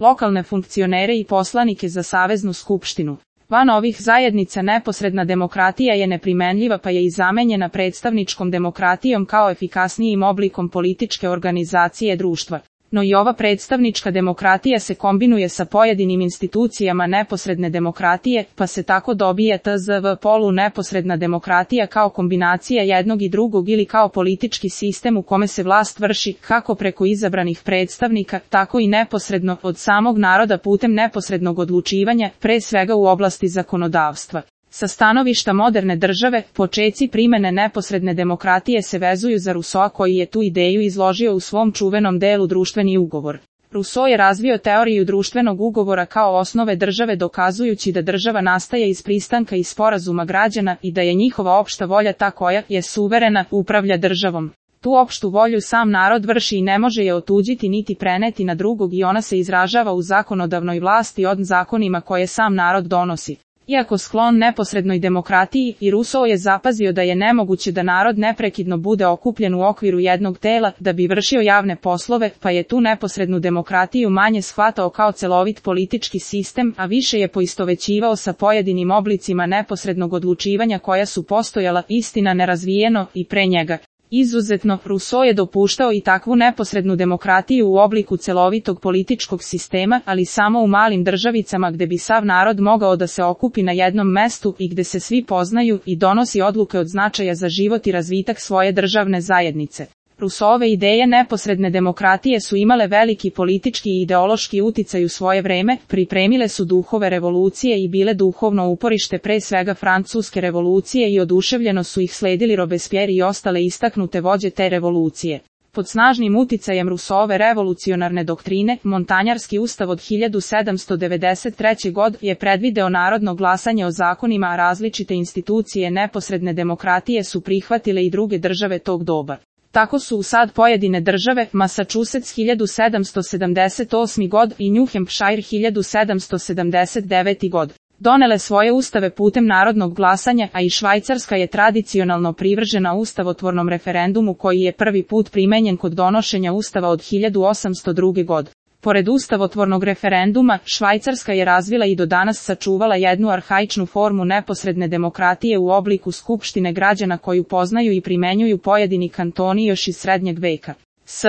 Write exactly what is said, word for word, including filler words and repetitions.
lokalne funkcionere i poslanike za Saveznu skupštinu. Van ovih zajednica neposredna demokratija je neprimenljiva pa je i zamenjena predstavničkom demokratijom kao efikasnijim oblikom političke organizacije društva. No i ova predstavnička demokratija se kombinuje sa pojedinim institucijama neposredne demokratije, pa se tako dobije T Z V polu neposredna demokratija kao kombinacija jednog i drugog ili kao politički sistem u kome se vlast vrši kako preko izabranih predstavnika, tako i neposredno od samog naroda putem neposrednog odlučivanja, pre svega u oblasti zakonodavstva. Sa stanovišta moderne države, počeci primene neposredne demokratije se vezuju za Rousseaua koji je tu ideju izložio u svom čuvenom delu Društveni ugovor. Rousseau je razvio teoriju društvenog ugovora kao osnove države dokazujući da država nastaje iz pristanka i sporazuma građana i da je njihova opšta volja ta koja je suverena, upravlja državom. Tu opštu volju sam narod vrši i ne može je otuđiti niti preneti na drugog i ona se izražava u zakonodavnoj vlasti od zakonima koje sam narod donosi. Iako sklon neposrednoj demokratiji, i Rousseau je zapazio da je nemoguće da narod neprekidno bude okupljen u okviru jednog tela da bi vršio javne poslove, pa je tu neposrednu demokratiju manje shvatao kao celovit politički sistem, a više je poistovećivao sa pojedinim oblicima neposrednog odlučivanja koja su postojala, istina nerazvijeno, i pre njega. Izuzetno, Rousseau je dopuštao i takvu neposrednu demokratiju u obliku celovitog političkog sistema, ali samo u malim državicama gde bi sav narod mogao da se okupi na jednom mestu i gde se svi poznaju i donosi odluke od značaja za život i razvitak svoje državne zajednice. Rousseauove ideje neposredne demokratije su imale veliki politički i ideološki uticaj u svoje vreme, pripremile su duhove revolucije i bile duhovno uporište pre svega Francuske revolucije i oduševljeno su ih sledili Robespierre i ostale istaknute vođe te revolucije. Pod snažnim uticajem Rousseauove revolucionarne doktrine, Montanjarski ustav od hiljadu sedamsto devedeset treće. godine je predvideo narodno glasanje o zakonima, a različite institucije neposredne demokratije su prihvatile i druge države tog doba. Tako su u sad pojedine države, Massachusetts hiljadu sedamsto sedamdeset osme. godine i New Hampshire hiljadu sedamsto sedamdeset devete. godine, donele svoje ustave putem narodnog glasanja, a i Švajcarska je tradicionalno privržena ustavotvornom referendumu koji je prvi put primenjen kod donošenja ustava od hiljadu osamsto druge. godine. Pored ustavotvornog referenduma, Švajcarska je razvila i do danas sačuvala jednu arhaičnu formu neposredne demokratije u obliku skupštine građana koju poznaju i primenjuju pojedini kantoni još iz srednjeg veka. S